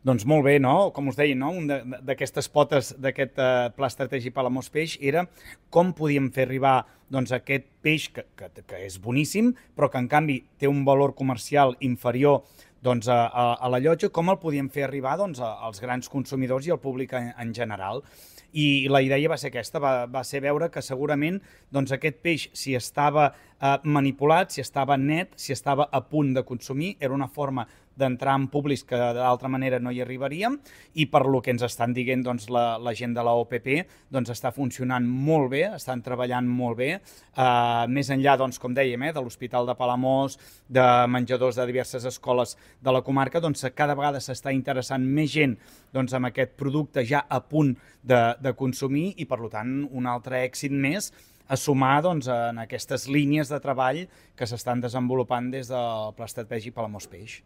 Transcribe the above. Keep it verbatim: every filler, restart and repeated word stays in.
Doncs molt bé, no? Com us deia, no? Un de- d'aquestes potes d'aquest eh, pla estratègic Palamós Peix era com podíem fer arribar doncs, aquest peix que, que, que és boníssim, però que en canvi té un valor comercial inferior doncs, a, a, a la llotja, com el podíem fer arribar doncs, a, als grans consumidors i al públic en, en general. I la idea va ser aquesta, va, va ser veure que segurament doncs, aquest peix, si estava eh, manipulat, si estava net, si estava a punt de consumir, era una forma d'entrar en públics que d'altra manera no hi arribaríem i per lo que ens estan dient doncs, la, la gent de la O P P doncs, està funcionant molt bé, estan treballant molt bé, eh, més enllà, doncs, com dèiem, eh, de l'Hospital de Palamós, de menjadors de diverses escoles de la comarca, doncs, cada vegada s'està interessant més gent doncs, amb aquest producte ja a punt de, de consumir i, per tant, un altre èxit més a sumar doncs, en aquestes línies de treball que s'estan desenvolupant des del Pla Estratègic Palamós Peix.